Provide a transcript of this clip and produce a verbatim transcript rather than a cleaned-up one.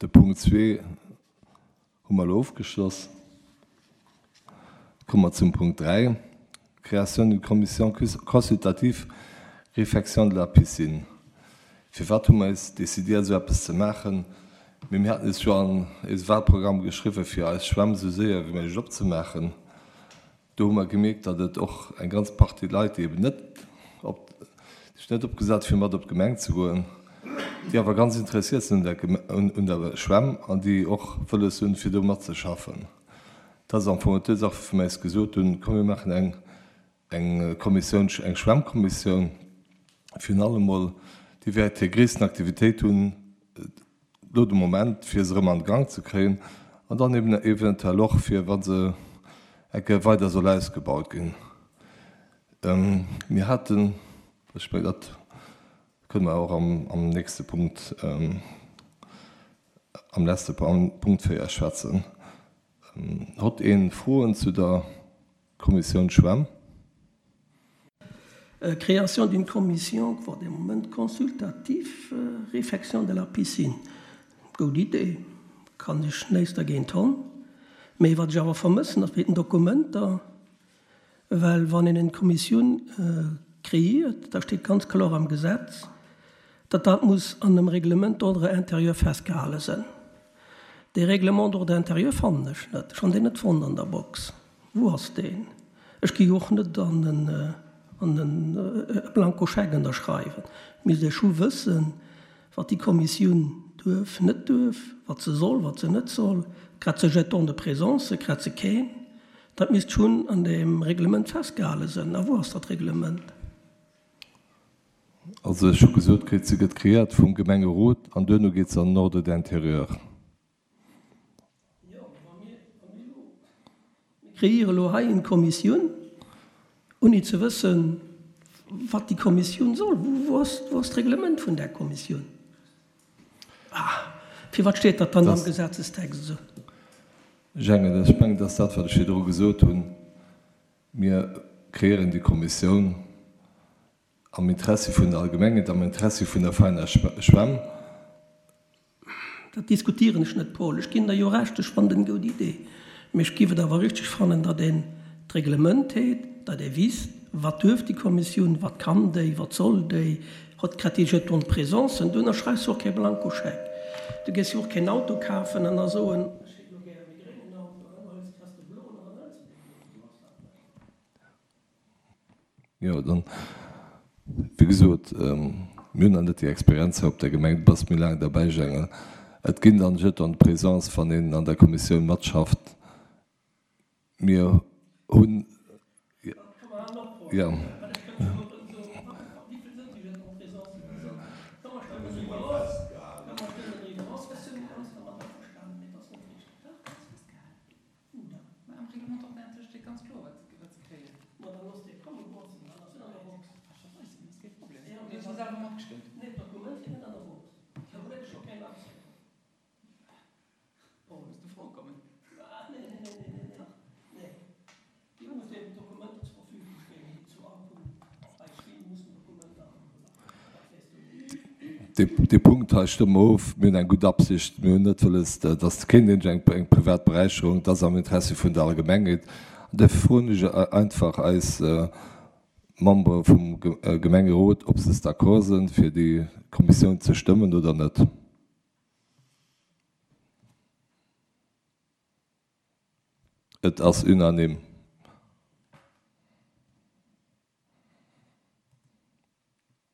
De Punkt zwee hu mer elo ofgeschloss. Komme mer zum Punkt dräi, Création d'une commission consultative réfection de la piscine. Firwat hu mer eis décidiert, esou eppes ze maachen? Mee mir haten eis jo an eise Wahlprogramm geschriwwen, fir eis Schwämm esou séier wéi méiglech opzemaachen. Do hu mer gemierkt, datt et och eng ganz Partie Leit, déi eben net op, sech net opgesat fir mat op d'Gemeng ze goen, déi awer ganz interessiert sinn un der Schwämm an déi och wëlles hunn, fir do matzeschaffen. Dat ass am Fong d'Ursaach, woufi mer eis gesot hunn, komm mir maachen eng eng Kommissioun, eng Schwämmkommissioun, virun allem mol, déi wäert hir gréissten Aktivitéit hunn elo de Moment, fir se erëm an de Gang ze kréien an dann eben eventuell och, fir wa se eng Kéier weider soll ausgebaut ginn. Mir haten, ech mengen, dat kënne mer och am nächste Punkt, am leschte Punkt véier schwätzen. Hott een Froen zu der Kommissioun Schwämm? Création d'une commission pour des moments consultatifs, réfection de la piscine. Goud Idee, kann ech näischt dergéint honn. Mee wat ech awer vermëssen, ass den Dokumenter, well wann een eng Kommissioun kreéiert, da steet ganz kloer am Gesetz, datt dat muss an einem Règlement d'ordre intérieur festgehale sinn. Dee Règlement d'ordre intérieur fannen ech net. Ech hunn deen net fonnt an der Box. Wou ass deen? Ech gi jo och net an en an en Blankoscheck ënnerschreiwen. Misst ech scho wëssen, wat déi Kommissioun duerf, net duerf, wat se soll, wat se net soll. Krat se Jeton de présence, krat se keen? Dat misst schonn an deem Reglement festgehale sinn. A wou ass dat Reglement? Also ech hu gesot kritt, se gëtt kreéiert vum Gemengerot an duerno geet se an den Ordre d'intérieur. Jo, wa mir elo, mir kreéiere elo hei eng Kommissioun, ouni ze wëssen, wat déi Kommissioun soll. Wou ass, wou ass d'Reglement vun där Kommissioun? Ah, firwat steet dat dann am Gesetzestext esou? Jängen, ech mengen, dat ass dat, wat ech virdru gesot hunn. Mir kreéieren déi Kommissioun am Interessi vun der Allgemengheet, am Interessi vun der Vereiner Schwämm. Dat diskutieren ech net, Paul. Ech ginn der jo Recht, ech fannen et eng goud Idee. Mee ech giff et awer richteg fannen, datt een d'Reglement heet, datt ee wisst, wat duerf déi Kommissioun, wat kann déi, wat soll déi, hott kritt déi Jetons de présence, du ënnerschreifs jo och kee Blankoscheck. Du géifs jo och keen Auto kafen an da soen, ech hätt elo gär e gréngen Auto, an dann hues kriss de bloen an dann hëls de dee bloen. Sou ass dat net. Jo, dann, wéi gesot, mir hunn nach net déi Experienz hei op der Gemeng, du bass méi laang derbäi, Jengel. Et ginn dann Jetons de présence, wann een an der Kommissioun matschafft. Mir hunn, jo. Dee Punkt hei stëmme mer of. Mir hunn eng gutt Absicht. Mir hunn net wëlles, dass keen iergend eng privat Beräicherung, et ass am Interessi vun der Allgemengheet. An duerfir froen ech einfach eis Membere vum Gemengerot, ob se d'accord sinn, fir déi Kommissioun ze stëmmen oder net. Et ass unanime.